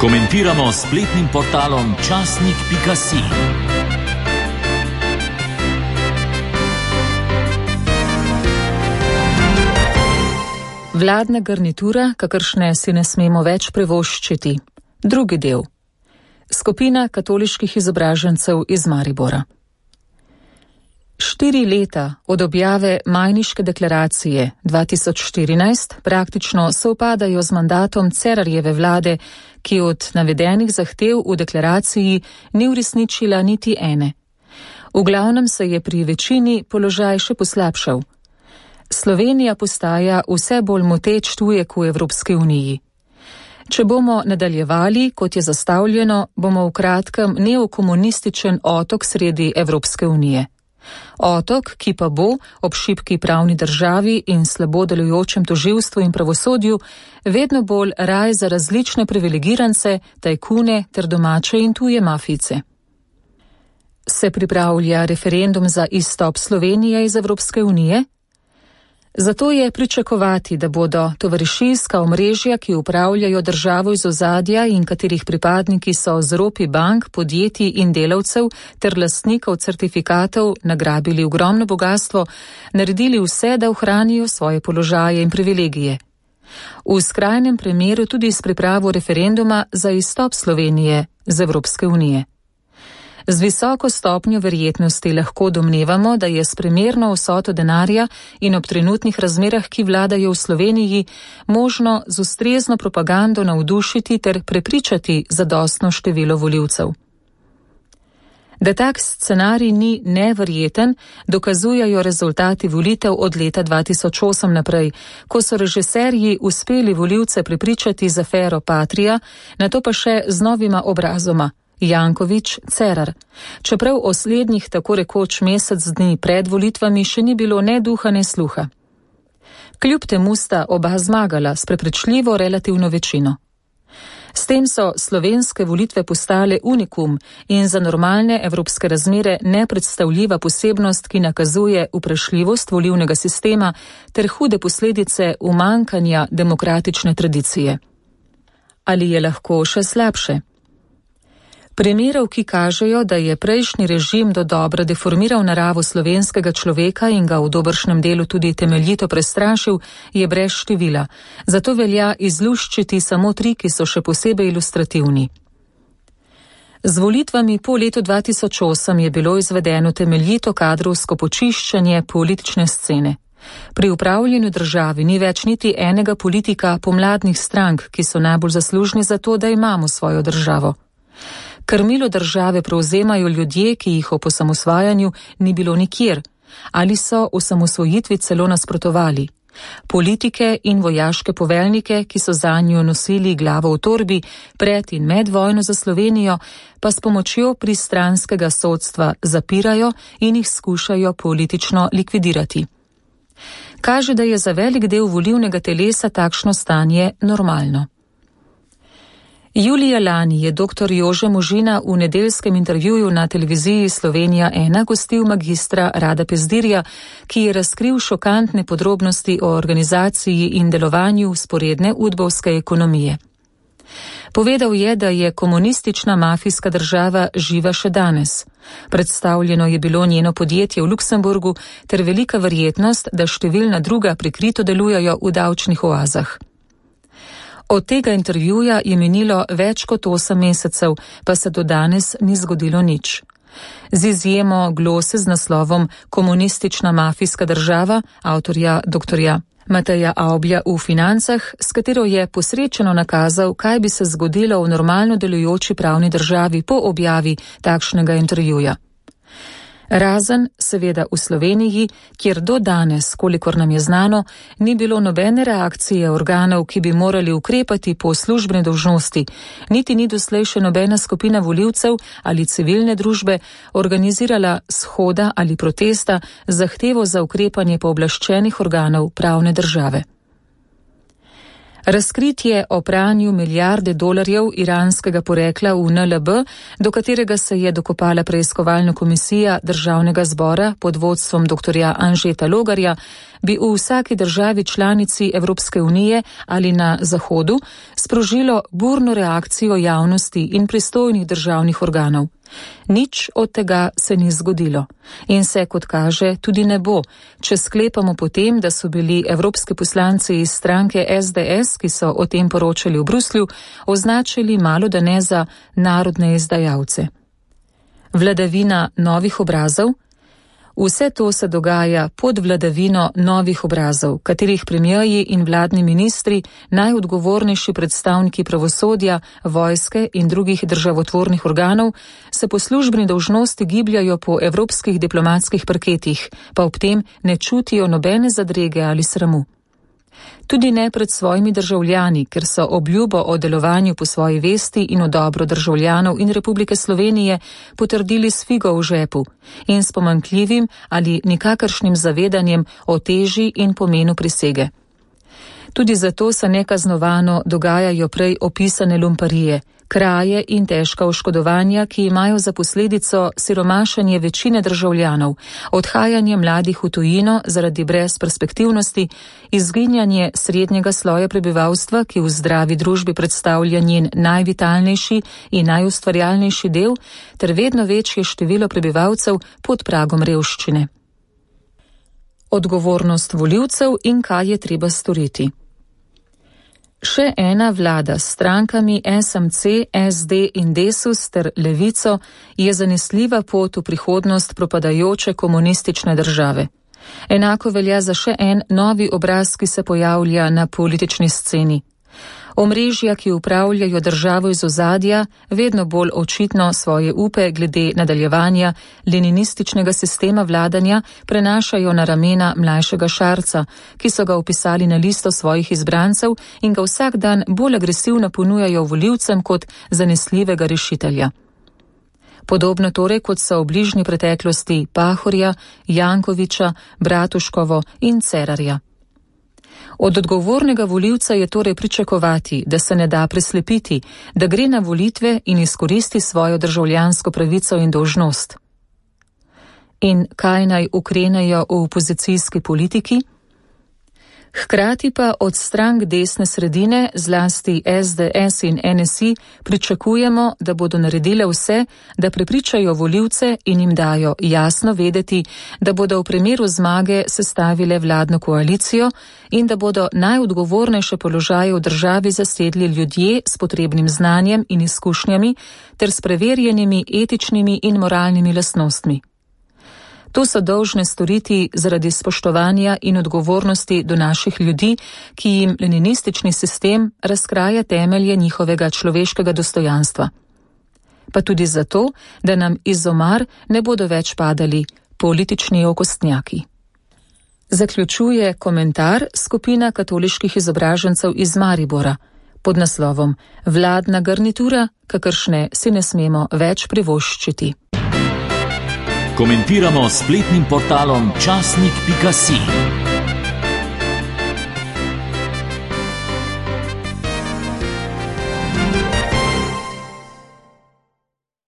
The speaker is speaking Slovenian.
Komentiramo s spletnim portalom časnik.si. Vladna garnitura, kakršne si ne smemo več privoščiti. Drugi del. Skupina katoliških izobražencev iz Maribora. 4 leta od objave Majniške deklaracije 2014 praktično sovpadajo z mandatom Cerarjeve vlade, ki od navedenih zahtev v deklaraciji ni uresničila niti ene. V glavnem se je pri večini položaj še poslabšal. Slovenija postaja vse bolj moteč tujek v Evropski uniji. Če bomo nadaljevali, kot je zastavljeno, bomo v kratkem neokomunističen otok sredi Evropske unije. Otok, ki pa bo ob šibki pravni državi in slabo delujočem tožilstvu in pravosodju vedno bolj raj za različne privilegirance, tajkune ter domače in tuje mafijce. Se pripravlja referendum za izstop Slovenije iz Evropske unije? Zato je pričakovati, da bodo tovarišijska omrežja, ki upravljajo državo iz ozadja in katerih pripadniki so z ropi bank, podjetij in delavcev ter lastnikov certifikatov nagrabili ogromno bogastvo, naredili vse, da ohranijo svoje položaje in privilegije. V skrajnem primeru tudi s pripravo referenduma za izstop Slovenije z Evropske unije. Z visoko stopnjo verjetnosti lahko domnevamo, da je s primerno vsoto denarja in ob trenutnih razmerah, ki vladajo v Sloveniji, možno z ustrezno propagando navdušiti ter prepričati zadostno število volivcev. Da tak scenarij ni neverjeten, dokazujejo rezultati volitev od leta 2008 naprej, ko so režiserji uspeli volivce prepričati z afero Patria, nato pa še z novima obrazoma. Janković, Cerar. Čeprav o slednjih tako rekoč mesec dni pred volitvami še ni bilo ne duha, ne sluha. Kljub temu sta oba zmagala s prepričljivo relativno večino. S tem so slovenske volitve postale unikum in za normalne evropske razmere nepredstavljiva posebnost, ki nakazuje vprašljivost volilnega sistema ter hude posledice umanjkanja demokratične tradicije. Ali je lahko še slabše? Primerov, ki kažejo, da je prejšnji režim dodobra deformiral naravo slovenskega človeka in ga v dobršnem delu tudi temeljito prestrašil, je brez števila. Zato velja izluščiti samo 3, ki so še posebej ilustrativni. Z volitvami po letu 2008 je bilo izvedeno temeljito kadrovsko počiščenje politične scene. Pri upravljanju državi ni več niti enega politika pomladnih strank, ki so najbolj zaslužni za to, da imamo svojo državo. Krmilo države prevzemajo ljudje, ki jih ob osamosvajanju ni bilo nikjer, ali so osamosvojitvi celo nasprotovali. Politike in vojaške poveljnike, ki so zanjo nosili glavo v torbi pred in med vojno za Slovenijo, pa s pomočjo pristranskega sodstva zapirajo in jih skušajo politično likvidirati. Kaže, da je za velik del volilnega telesa takšno stanje normalno. Julija lani je dr. Jože Možina v nedeljskem intervjuju na televiziji Slovenija 1 gostil magistra Rada Pezdirja, ki je razkril šokantne podrobnosti o organizaciji in delovanju vzporedne udbovske ekonomije. Povedal je, da je komunistična mafijska država živa še danes. Predstavljeno je bilo njeno podjetje v Luksemburgu ter velika verjetnost, da številna druga prikrito delujejo v davčnih oazah. Od tega intervjuja je minilo več kot 8 mesecev, pa se do danes ni zgodilo nič. Z izjemo glose z naslovom Komunistična mafijska država avtorja dr. Mateja Avblja v Financah, s katero je posrečeno nakazal, kaj bi se zgodilo v normalno delujoči pravni državi po objavi takšnega intervjuja. Razen, seveda, v Sloveniji, kjer do danes, kolikor nam je znano, ni bilo nobene reakcije organov, ki bi morali ukrepati po službeni dolžnosti, niti ni doslej še nobena skupina volivcev ali civilne družbe organizirala shoda ali protesta z zahtevo za ukrepanje pooblaščenih organov pravne države. Razkritje o pranju milijarde dolarjev iranskega porekla v NLB, do katerega se je dokopala preiskovalna komisija Državnega zbora pod vodstvom dr. Anžeta Logarja, bi v vsaki državi članici Evropske unije ali na Zahodu sprožilo burno reakcijo javnosti in pristojnih državnih organov. Nič od tega se ni zgodilo in se, kot kaže, tudi ne bo, če sklepamo potem, da so bili evropski poslanci iz stranke SDS, ki so o tem poročali v Bruslju, označili malodane za narodne izdajalce. Vladavina novih obrazov? Vse to se dogaja pod vladavino novih obrazov, katerih premierji in vladni ministri, najodgovornejši predstavniki pravosodja, vojske in drugih državotvornih organov, se po službeni dolžnosti gibljajo po evropskih diplomatskih parketih, pa ob tem ne čutijo nobene zadrege ali sramu. Tudi ne pred svojimi državljani, ker so obljubo o delovanju po svoji vesti in v dobro državljanov in Republike Slovenije potrdili s figo v žepu in s pomanjkljivim ali nikakršnim zavedanjem o teži in pomenu prisege. Tudi zato se nekaznovano dogajajo prej opisane lumparije, kraje in težka oškodovanja, ki imajo za posledico siromašenje večine državljanov, odhajanje mladih v tujino zaradi brezperspektivnosti, izginjanje srednjega sloja prebivalstva, ki v zdravi družbi predstavlja njen najvitalnejši in najustvarjalnejši del, ter vedno večje število prebivalcev pod pragom revščine. Odgovornost volivcev in kaj je treba storiti. Še ena vlada s strankami SMC, SD in Desus ter Levico je zanesljiva pot v prihodnost propadajoče komunistične države. Enako velja za še en novi obraz, ki se pojavlja na politični sceni. Omrežja, ki upravljajo državo iz ozadja, vedno bolj očitno svoje upe glede nadaljevanja leninističnega sistema vladanja prenašajo na ramena mlajšega Šarca, ki so ga vpisali na listo svojih izbrancev in ga vsak dan bolj agresivno ponujajo volivcem kot zanesljivega rešitelja. Podobno torej, kot so v bližnji preteklosti Pahorja, Jankoviča, Bratuškovo in Cerarja. Od odgovornega volivca je torej pričakovati, da se ne da preslepiti, da gre na volitve in izkoristi svojo državljansko pravico in dolžnost. In kaj naj ukrenejo v opozicijski politiki? Hkrati pa od strank desne sredine, zlasti SDS in NSI, pričakujemo, da bodo naredile vse, da prepričajo volivce in jim dajo jasno vedeti, da bodo v primeru zmage sestavile vladno koalicijo in da bodo najodgovornejše položaje v državi zasedli ljudje s potrebnim znanjem in izkušnjami ter s preverjenimi etičnimi in moralnimi lastnostmi. To so dolžne storiti zaradi spoštovanja in odgovornosti do naših ljudi, ki jim leninistični sistem razkraja temelje njihovega človeškega dostojanstva. Pa tudi zato, da nam iz omar ne bodo več padali politični okostnjaki. Zaključuje komentar skupina katoliških izobražencev iz Maribora pod naslovom Vladna garnitura, kakršne si ne smemo več privoščiti. Komentiramo s spletnim portalom časnik.si.